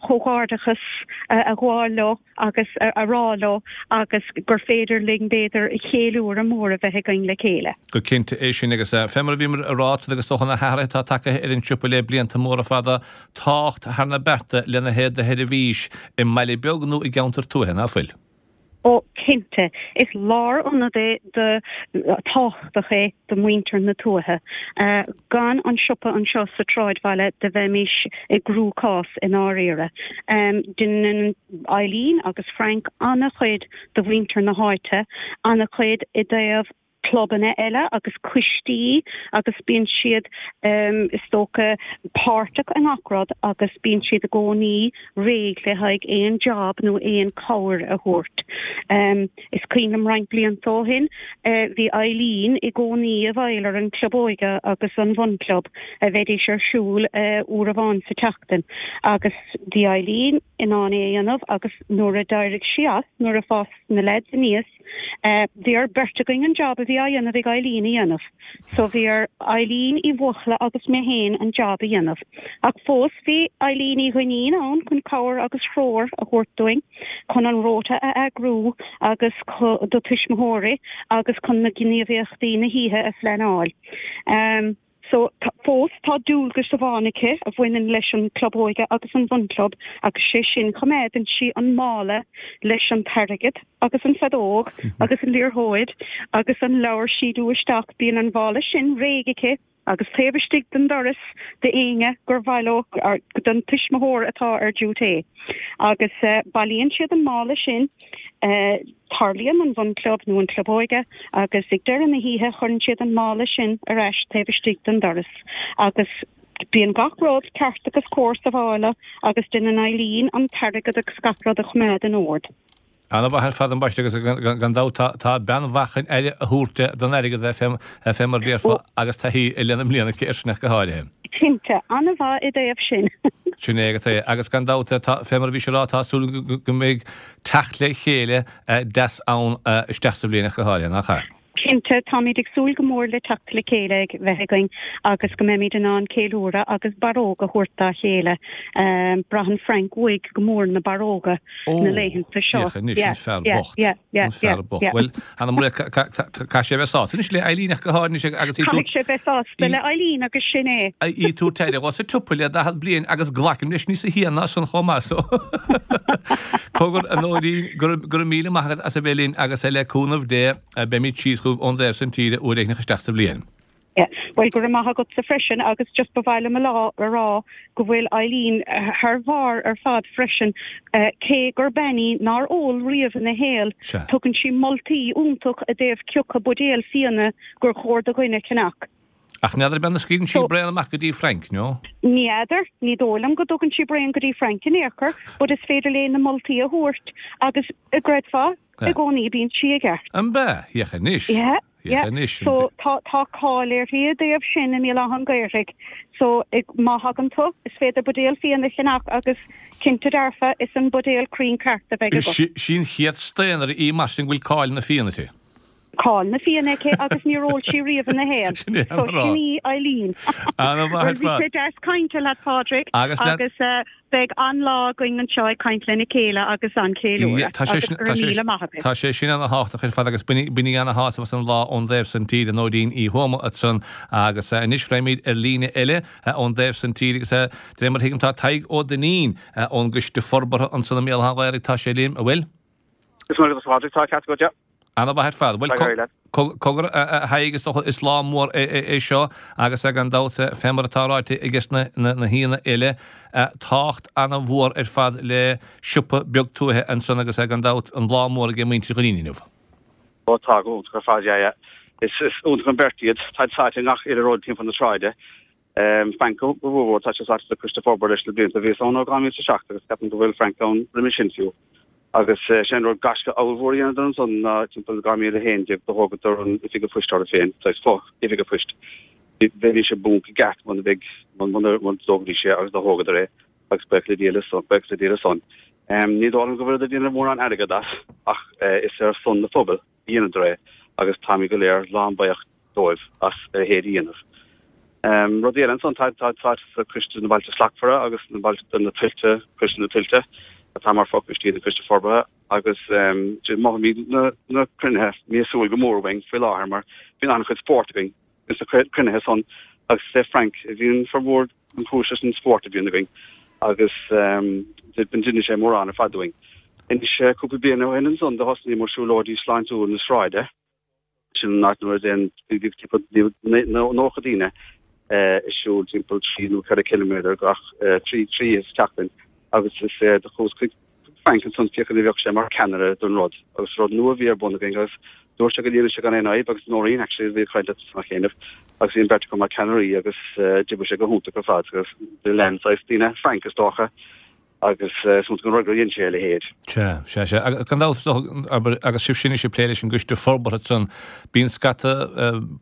comhghairdeachas a ghabháil leo. agus a rá leo agus gur féidir linn, b'fhéidir, cheiliúradh mór a bheith againn le chéile. Go cinnte é sin agus fé mar a bhíomar a rá agus dócha na hathruithe atá tagtha ar an siopa le blianta móra fada, tábhacht thar na bearta lena thaobh de sheirbhís i mbaile beag nó i gceantar tuaithe, ná fuil? Ó, cinnte. Is lárionad é do, tábhachtach é do mhuintir na tuaithe. Gan an siopa anseo sa tsráidbhaile do bheimís i gcruachás i ndáiríre. Déanann Eileen agus Frank an-chuid do mhuintir na háite, an-chuid i dtaobh clubanna eile agus coistí agus bíonn siad is dócha páirteach i ngach rud agus bíonn siad i gcónaí réidh le haghaidh aon job nó aon cabhair a thabhairt. Is cuimhin liom roinnt blianta ó shin bhí Eileen i gcónaí i bhfeighil ar an Club Óige agus an Bhunchlub a bheidís ar siúl uair amháin sa tseachtain agus bhí Eileen in ann é a dhéanamh agus nuair a d'éirigh sí as, nuair a fás na leaids aníos, bhí ar beirt againn an job a bhí á dhéanamh ag Eileen a dhéanamh. So bhí ar Eileen Uí Bhuachalla agus mé féin an job a dhéanamh. Ach fós bhí Eileen Uí Dhuinnín ann chun cabhair agus treoir a thabhairt dúinn, chun an rota a eagrú agus do tuismitheoirí agus chun na gníomhaíochtaí na hoíche a phleanáil. So, fós tá dualgas amháin aici a bhaineann leis an Club Óige agus an Bhunchlub agus sé sin choimeádann sí an mála leis an t-airgead agus an feadóg agus an liathróid agus an leabhar síniú isteach. Bíonn an mhála sin réidh aici agus taobh istigh den doras d'éinne gur mhaith leo, don tuismitheoir atá ar duty. Agus bailíonn siad an mála sin. Tarlaíonn an Bhunchlub nó an Club Óige agus ag deireadh na hoíche chuireann siad an mála sin ar ais taobh istigh den doras agus bíonn gach rud ceart agus cóir sa mhála agus déanann Eileen an t-airgead agus gach rud a choimeád in ord. Ana-mhaith ar fad ambaiste agus gan dabht tá bean mhaith chun aire a thabhairt don airgead fé mar a déarfá agus taithí lena mbliana aici air sin ach go háirithe. Cinnte, an-mhaith i dtaobh sin. Sin é agat é. Agus gan dabht, fé mar a bhís a rá, tá súil go mbeidh teacht le chéile deas ann isteach sa bhliain ach go háirithe, nach ea? Cinnte, táimid ag súil go mór le teacht le chéile ag bheith againn agus go mbeimid in ann ceiliúradh agus barróg a thabhairt dá chéile. Braitheann Frank uaidh go mór na barróga na laethanta seo. Féach anois, an fear bocht. An fear bocht. Bhuel, Anna Maria, caithfidh sé a bheith sásta anois le Eileen ach go háirithe anois agus í Caithfidh sé bheith sásta le Eileen agus sin é. Í ag tabhairt aire dhó sa tsiopa le 40 bliain agus glacaim leis níosa shia ná san chomh maith so. Cogar, a Nóirín, go raibh míle maith agat as a bheith linn agus le cúnamh Dé beimid síos chugaibh ón dtaobh san tíre uair éigin isteach sa bhliain. Yeah. Bhuel, go raibh maith agatsa freisin agus just ba mhaith liom a lá a rá go bhfuil Eileen thar bharr ar fad freisin cé gur bean í nár ól riamh ina shaol, tugann sí moltaí iontach i dtaobh cioca buidéal fíona gur chóir do dhuine ceannach. Ach n'fheadar an scaoileann sí braon amach go dtí Frank, no? Ní fheadar, ní dóigh liom go dtugann sí braon go dtí Frank in aon chor, but is féidir léi na moltaí a thabhairt agus, an gcreidfeá, i gcónaí bíonn sí i gceart. An b'ea? Féach anois. Yeah, yeah. Féach anois. So tá, tá cáil uirthi i dtaobh sin i mBéal Átha an Ghaorthaidh. So má thagann tú, is féidir buidéal fíona a cheannach agus cinnte dearfa is an buidéal cruinn ceart a bheidh agat. Sí an chéad staonaire í mar sin go bhfuil cáil na fíon uirthi. Cáil na fíon aici agus níor ól sí riamh ina shaol. Sin é So sin í Eileen. Ana-mhaith ar Bhuel, bhí fad. sé deas cainte leat, Pádraig, Agus le. agus beidh an-lá againn anseo ag caint lena chéile agus an-cheiliúradh. Tá sé Agus sin, go tá raibh sé, míle maith agat. tá sé sin ana-thábhachtach ar fad agus bainigí ana-shásamh as an lá ón dtaobh san tíre, Nóirín Uí Thuama ansan agus anois raghaimid ar líne eile ón dtaobh san tíre agus de réir mar a thuigim tá Tadhg Ó Duinnín ón gCoiste Forbartha ansan i mBéal Átha an Ghaorthaidh, tá sé linn, an bhfuil? Is maith agat a Phádraig, tá ceart agat, yeah. Ana-mhaith ar fad. Bhuel, cogar, a Thaidhg, is dócha, is lá mór é seo agus gan dabht, fé mar atá ráite ages na haíonna eile, tábhacht ana-mhór ar fad le siopa beag tuaithe ansan agus gan dabht an lá mór ag muintir Dhuinnín inniu. Ó tá, go hiontach ar fad, yeah, yeah. Is iontach an bheirt iad. Táid sáite i ngach uile rud timpeall na sráide. Frank go mhór, tá sé sáite sa Coiste Forbartha leis na blianta. Bhíos ann ó 2007 agus ceapaim go bhfuil Frank ann roimhe sin fiú. Agus sé an rud gaisce ollmhór a dheineadar ansan ná timpeall 2011 do thógadar an oifig an phoist orthu féin, saghas fo-oifig an phoist. Bheidís i bponc i gceart muna mbeidh, muna dtógfaidís é agus do thógadar é agus buíochas le Dia le son, buíochas le Dia le san. Ní dóigh liom go bhfuileadar ag déanamh mórán airgead as ach is ar son na phobail a dheineadar é agus táimid go léir lán buíoch dóibh as a leithéid a dhéanamh. Rudaí eile ansan, tá tá sa Coiste na Bailte Slachtmhara agus na Bailte na Tuilte, Coiste na Tuilte, atá mar fhochoistí den Choiste Forbartha agus mothaímid na na cruinnithe míosúil go mór uainn faoi láthair mar bíonn an-chuid spórt againn ins na cruinnithe san agus is é Frank a bhíonn formhór an chúis leis an spórt a bhíonn againn agus deineann sé mórán ar fad dúinn. Anois cúpla bliain ó shin ansan do thosnaíomar siúlóidí sláintiúil na sráide. Sin an áit nuair a dtéann timpeall 90 daoine ag siúl timpeall 3 nó 4 ciliméadar gach 3 3 sa tseachtain agus is é do chuas chuig Frank ansan féachaint an bheadh sé mar ceannaire don rud agus rud nua a bhí ar bun againn agus dúirt sé go ndéanfadh sé gan aon fhadhb agus Nóirín actually a bhí ag caint leat san chéanna agus bhí an bheirt acu mar ceannairí agus d'oibrigh sé go hiontach ar fad agus do lean saghas daoine Frank is dócha agus is iontach an rud gur dhein sé a leithéid. Sea, sea, sea. Agus gan dabht, is dócha, abair, agus sibhse anois ag plé leis an gcoiste forbartha ansan, bíonn scata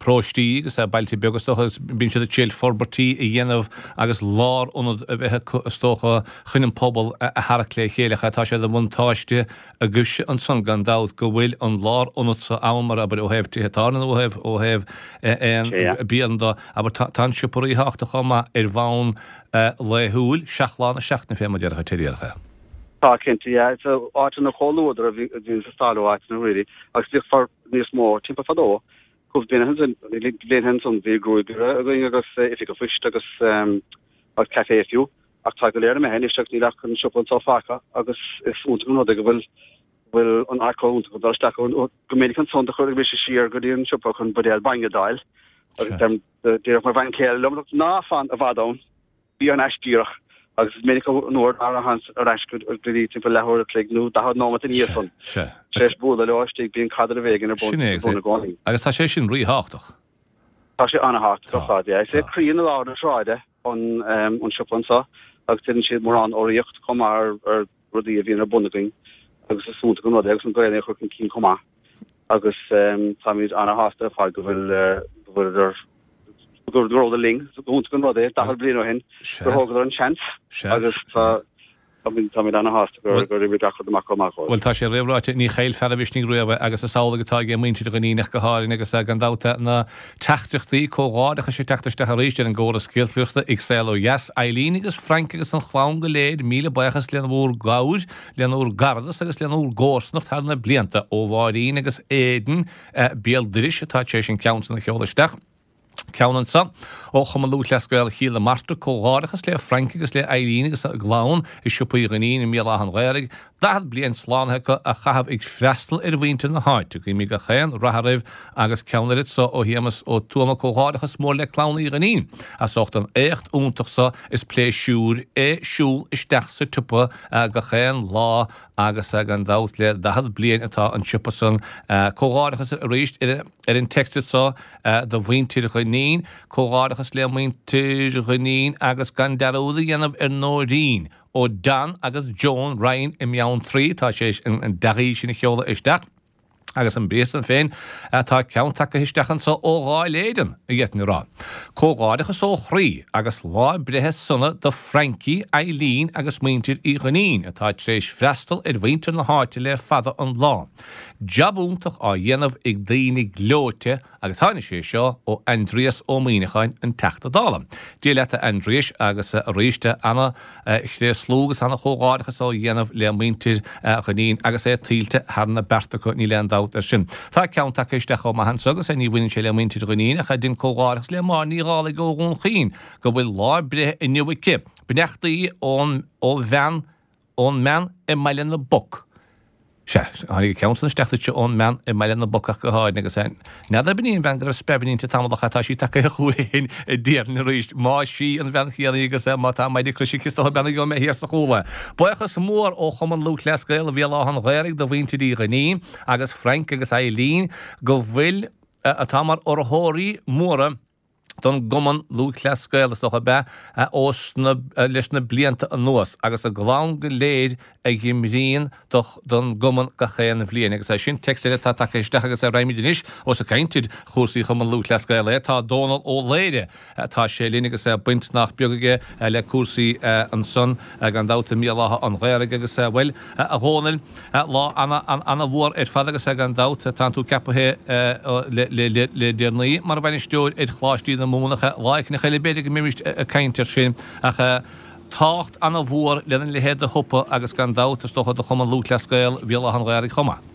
paróistí agus bailte beaga, is dócha, agus bíonn siad ag triail forbairtí a dhéanamh agus lárionad a bheith acu, is dócha, chun an pobal a tharrac le chéile. Ach tá sé de bhuntáiste agaibhse ansan, gan dabht, go bhfuil an lárionad so ann, mar, abair, ó thaobh tithe tábhairne nó ó thaobh, ó thaobh aon bialann de, abair, tá, tá an siopa ríthábhachtach chomh maith ar bhonn laethúil, 7 lá na seachtaine fé mar a déarfá díreach. Tá, cinnte, yeah. Is áiteanna comhluadar a bhíonn ag teastáil ó áiteanna really agus bhíodh for níos mó timpeall fadó cúpla bliain ó shin, bliain ansan bhí gruagaire againn agus oifig an phoist agus agus café fiú ach tá go léir imithe anois agus níl ach an siopa anseo fágtha agus is iontach an rud é go bhfuil bhfuil an áit chomh iontach dul isteach go minic ansan do chuir mise siar go dtí an siopa chun buidéal bainne d'fháil agus Déarfadh mo bhean chéile liom, ná fan i bhfad ann, bí thar n-ais díreach, agus is minic an uair ná rachainn ar ais go dtí timpeall leathuair a chloig nó 40 nóiméad ina dhiaidh san. Tar éis bualadh leo istigh, bíonn caidreamh éigin ar bun i gcónaí. Agus tá sé sin ríthábhachtach. Tá sé an-thábhachtach ar fad, yeah. Is é croí na lár na sráide an siopa anseo agus déanann siad mórán urraíocht chomh maith ar rudaí a bhíonn ar bun againn agus is iontach an rud é agus an Gaelainn a chur chun cinn chomh maith agus táimid ana-shásta ar fad go bhfuil go bhfuileadar go rabhadar linn. Is iontach an rud é 40 bliain ó shin gur thógadar an seans agus tá. Táimid ana-shásta gur oibrigh gach rud amach chomh maith dhóibh. Bhuel, tá sé réamhráite, ní chaillfear a mhisnigh riamh é agus is amhlaidh atá ag muintir Dhuinnín ach go háirithe agus gan dabht na teachtaireachtaí comhghairdeachais ag teacht isteach arís ar an gcóras giolcaireachta ag Saol Ó Dheas. Eileen agus Frank agus an chlann go léir, míle buíochas lena bhúr gcabhair, lena bhúr gcaradas agus lena bhúr gcomharsanacht thar na blianta. Ó Mháirín agus Aidan béal dorais atá tar éis an ceann san a sheoladh isteach. Ceann anso ó Chumann Lúthchleas Gael Chill na Martra, Comhghairdeachas le Frank agus le Eileen agus a gclann i Siopa Uí Dhuinnín i mBéal Átha an Ghaorthaidh. 40 bliain slánaithe acu a chaitheamh ag freastal ar mhuintir na háite. Guímid gach aon rath oraibh agus ceann eile anso ó Shéamus Ó Tuama, Comhghairdeachas mór le clann Uí Dhuinnín as ucht an éacht iontach so is pléisiúr é siúl isteach sa tsiopa gach aon lá agus gan dabht le 40 bliain atá an siopa san. Comhghairdeachas arís ar Ar an text so do mhuintir Dhuinnín, comhghairdeachas le muintir Dhuinnín agus gan dearúd a dhéanamh ar Nóirín ó Don agus Joan Ryan i mBeanntraí, tá sé an dea-ghuí sin a sheoladh isteach. Agus an briathar san féin, tá ceann tagtha isteach anso ó Dháil Éireann, a d'fhéadfainn a rá. Comhghairdeachas ó chroí agus lá breithe sona do Frankie, Eileen agus muintir Uí Dhuinnín atá tar éis freastal ar mhuintir na háite le fada an lá. Jab iontach á dhéanamh ag daoine gleoite agus tháinig sé seo ó Aindrias Ó Muimhneacháin, an Teachta Dála. Dia leat a Aindriais agus arís ana-thréaslú agus ana-chomhghairdeachas á dhéanamh le muintir Dhuinnín agus é tuillte thar na bearta acu, níl aon dabht air sin. Tá ceann tagtha isteach chomh maith anso agus ní bhaineann sé le muintir Dhuinnín ach dein comhghairdeachas le Máire Ní Dhálaigh ó Dhún Chaoin go bhfuil lá breithe inniu aici. Beannachtaí ón ó bhean Ón mbean i mBaile na bPoc. Sea, tháinig an ceann san isteach duitse ón mbean i mBaile na bPoc ach go háirithe agus n'fheadar ab in í an bhean go raibh speirbhinn inti tamall ach tá sí tagtha chugainn déarfainn arís. Más í an bhean chéanna í agus má tá maide croise aici is dócha bean a gheobhaidh mé thiar sa chúl. Buíochas mór ó Chumann Lúthchleas Gael Bhéal Átha an Ghaorthaidh do mhuintir Uí Dhuinnín agus Frank agus Eileen go bhfuil atá mar urraitheoirí móra don gCumann Lúthchleas Gael, is dócha, ab ea, ós na, leis na blianta anuas, agus a gclann go léir a dh'imríonn do, don gCumann gach aon bhliain. Agus é sin téacs eile atá tagtha isteach agus raghaimid anois, ós ag caint ar chúrsaí Chumann Lúthchleas Gael é, tá Dónal Ó Laoire, tá sé linn agus baint nach beag aige le cúrsaí ansan, gan dabht, i mBéal Átha an Ghaorthaidh agus, bhuel, a Dhónaill, Lá ana-mhór ar fad agus gan dabht tánn tú ceapaithe le deireanaí mar bhainisteoir ar Choláistí na Mumhan ach lá éicint eile b'fhéidir go mbeimis ag caint air sin ach tábhacht ana-mhór lena leithéid de shiopa agus gan dabht is dócha do Chumann Lúthchleas Gael Bhéal Átha an Ghaorthaidh chomh maith.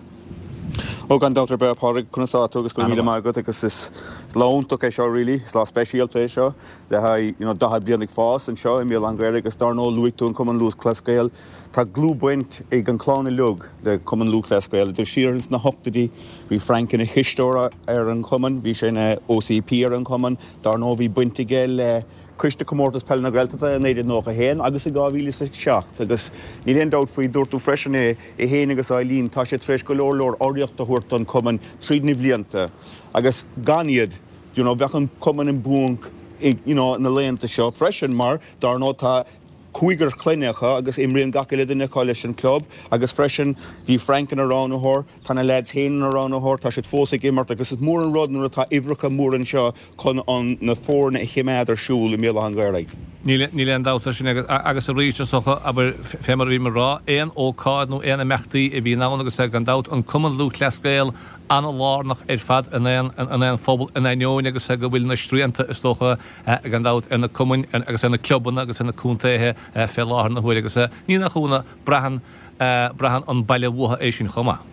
Ó gan dabht ar bith a Phádraig, conas tá tú agus go raibh míle maith agat agus is lá iontach é seo really, is lá speisialta é seo le haghaidh you know 40 bliain ag fás anseo i mBéal Átha an Ghaorthaidh agus dar ndóigh luaigh tú an Cumann Lúthchleas Gael, Tá dlúthbhaint ag an chlann uilig le Cumann Lúthchleas Gael. Idir siar ins na hochtóidí, bhí Frank ina chisteoir ar an chumann, bhí sé ina OCP ar an chumann. Dar ndóigh, bhí baint aige le Coiste Comórtas Peile na Gaeltachta i 1991 agus i 2007 agus níl aon dabht faoi, dúirt tú freisin é, é féin agus Eileen, tá sé tar éis go leor leor urraíocht a thabhairt don chumann tríd na bhlianta agus gan iad, you know, bheadh an cumann i mbuanc, you know, na laethanta seo freisin mar dar ndóigh tá cúigear clainne acu agus imríonn gach uile duine acu leis an club agus freisin bhí Frank ina roghnaitheoir, tá na leaids féin ina roghnaitheoir, tá siad fós ag imirt agus is mór an rud nuair atá uimhreacha móra anseo chun an na foirne a chimeád ar siúl i mBéal Átha an Ghaorthaidh. Níl aon dabht air sin agus agus arís is dócha, abair, fé mar a bhí mé ag rá, aon ócáid nó aon imeachtaí a bhíonn ann agus gan dabht an Cumann Lúthchleas Gael an-lárnach ar fad in aon in aon phobal in ainneoin agus go bhfuil na srianta is dócha gan dabht, ar na cumainn agus ar na clubanna agus ar na contaetha fé láthair na huaire agus ní nach ionadh, braitheann, braitheann an baile uathu é sin chomh maith.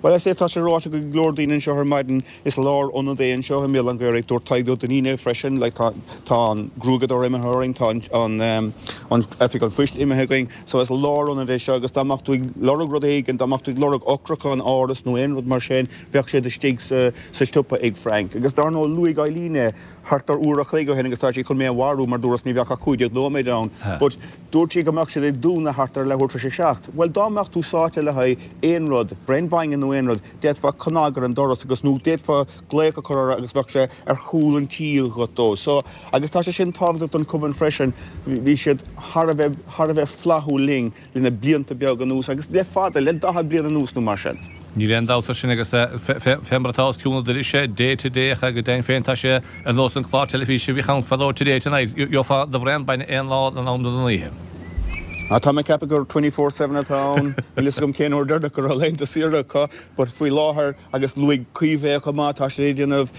Bhuel, is é atá sé ráite ag go leor daoine anseo ar maidin, is lárionad é anseo i mBéal Átha an Ghaorthaidh. Dúirt Tadhg Ó Duinnín é freisin, like tá, tá an gruaigeadóir imithe orainn, tá an, an, an oifig an phoist imithe againn, so is lárionad é seo agus dá mbeadh tú ag lorg rud éigin, dá mbeadh tú ag lorg eochracha an áras nó aon rud mar sin, Bheadh siad istigh sa siopa ag Frank. Agus dar ndóigh luaigh Eileen é thart ar uair a chloig ó shin agus tá sí chun mé a mharú mar dúras ní bheadh ach 15 nóiméad ann. But dúirt sí go mbeadh siad ag dúnadh thart ar leathuair tar éis a seacht. Bhuel dá mbeadh tú sáite le haghaidh aon rud, braon bainne nó aon rud, d'fhéadfá cnag ar an doras agus nó d'fhéadfá glaoch a chur orthu agus bheadh sé ar chúl an tí agat dó. So agus tá sé sin tábhachtach don chumann freisin. Bhí siad thar a bheith thar a bheith flaithiúil linn. le na blianta beaga anuas agus le fada, le 40 bliain anuas nó mar sin. Níl aon dabht air sin agus fé mar atá os cionn an dorais day to day ach go deimhin féin tá sé ar nós an clár teilifíse a bhíodh ann fadó Today Tonight, gheofá do bhraon bainne aon lá den am nó den oíche. Ah, tá mé ag ceapadh gur 24/7 atá ann. Níl fhios agam cén uair deireanach go raibh laethanta saoire acu, but faoi láthair, agus luaigh Caoimhe chomh maith, tá siad ag déanamh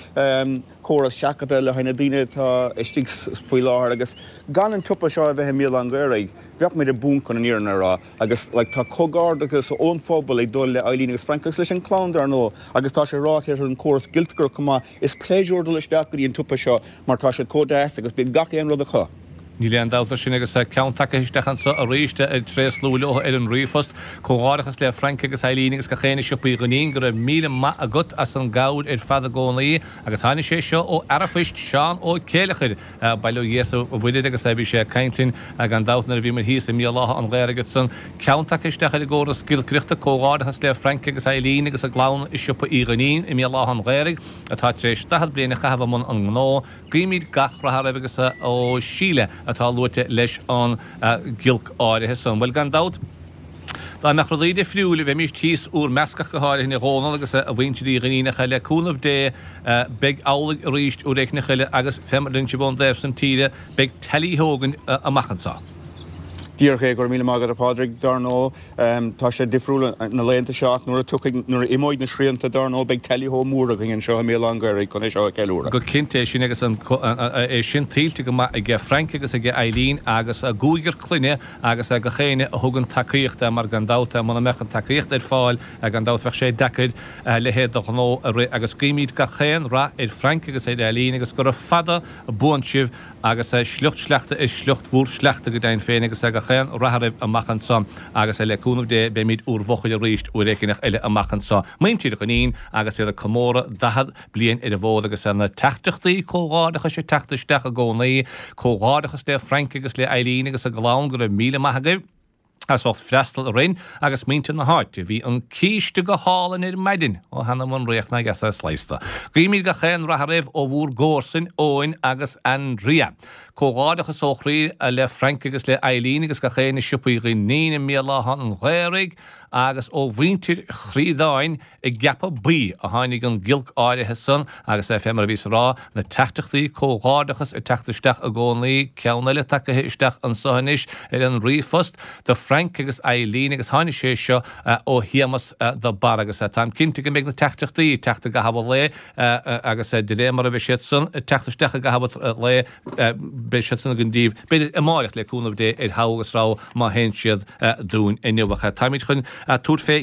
córas seachadta le haghaidh na daoine atá istigh faoi láthair agus gan an tsiopa seo a bheith i mBéal Átha an Ghaorthaidh, bheadh muid i bponc chun an fhírinne a rá. Agus like tá comhghairdeachas ón phobal ag dul le Eileen agus Frank agus leis an chlann dar ndóigh agus tá sé ráite ar an chóras giolcaireachta chomh maith, is pléisiúr dul isteach go dtí an tsiopa seo mar tá siad chomh deas agus bíonn gach aon rud acu. Níl aon dabht air sin agus tá ceann tagtha isteach anso arís ag tréaslú leo ar an ríomhphost. Comhghairdeachas le Frank agus Eileen agus gach éinne i Siopa Uí Dhuinnín, go raibh míle maith agat as an gcabhair ar fad i gcónaí agus tháinig sé seo ó fhear an phoist, Seán Ó Céileachair, bail ó Dhia is a Mhuire air agus bhí sé ag caint linn gan dabht nuair a bhíomar thíos i mBéal Átha an Ghaorthaidh ansan. Ceann tagtha isteach ar an gcóras giolcaireachta, comhghairdeachas le Frank agus Eileen agus a gclann i Siopa Uí Dhuinnín i mBéal Átha an Ghaorthaidh atá tar éis 40 bliain a chaitheamh i mbun an ngnó. Guímid gach rath oraibh agus ó Síle atá luaite leis an ghiolc áirithe san. Bhuel, gan dabht, dá mbeadh rudaí difriúil, bheimís thíos úr measc ach go háirithe a Dhónaill agus a mhuintir Uí Dhuinnín ach le cúnamh Dé beidh amhlaidh arís uair éicneach eile agus fé mar a deireann sibh ón dtaobh san tíre, beidh tally-ho againn amach anso. Díreach é, go raibh míle maith agat a Phádraig. Dar ndóigh, tá sé difriúil na laethanta seo ach nuair a tiocfaidh, nuair a imeoidh na srianta, dar ndóigh, beidh tally-ho mór againn anseo i mBéal Átha an Ghaorthaidh chun é seo a cheiliúradh. Go cinnte é sin agus an, é sin tuillte go maith aige Frank agus aige Eileen agus a gcúigear clainne agus gach éinne a thugann tacaíocht mar gan dabht muna mbeadh an tacaíocht ar fáil gan dabht bheadh sé deacair a leithéid de ghnó a rith agus guímid gach aon rath ar Frank agus ar Eileen agus gura fada buan sibh Agus sliocht sleachta ar shliocht bhur sleachta go deimhin féin, agus gach aon rath oraibh amach anso, agus le cúnamh Dé beimid úr bhfochair arís uair éigineach eile amach anso. Muintir Dhuinnín agus iad ag comóradh 40 bliain ar an bhfód, agus na teachtaireachtaí comhghairdeachais ag teacht isteach i gcónaí. Comhghairdeachas le Frank agus le Eileen agus a gclann, go raibh míle maith agaibh. as ucht freastal orainn agus muintir na háite. Bhí an císte go hálainn ar maidin! Ó th'anam 'on fhraoch nár dheas é sladhsta. Guímid gach aon rath oraibh ó bhúr gcomharsain, Eoin agus Andrea. Comhghairdeachas ó chroí le Frank agus le Eileen agus gach éinne i Siopa Uí Dhuinnín i mBéal Átha an Ghaorthaidh agus ó mhuintir Chríodáin I gCeapadh Buí a tháinig an giolc áirithe san agus fé mar a bhíos a rá, na teachtaireachtaí comhghairdeachas ag teacht isteach i gcónaí, ceann eile tagaithe isteach anso anois ar an ríomhphost do Frank agus Eileen agus tháinig sé seo ó Shéamas de Barra agus táim cinnte go mbeidh na teachtaireachtaí ag teacht i gcaitheamh an lae agus de réir mar a bheidh siad san ag teacht isteach i gcaitheamh an lae beidh siad san againn daoibh b'fhéidir amáireach le cúnamh Dé ar Thogha agus Rogha má théann siad dúinn inniu ach táimid chun tabhairt fé.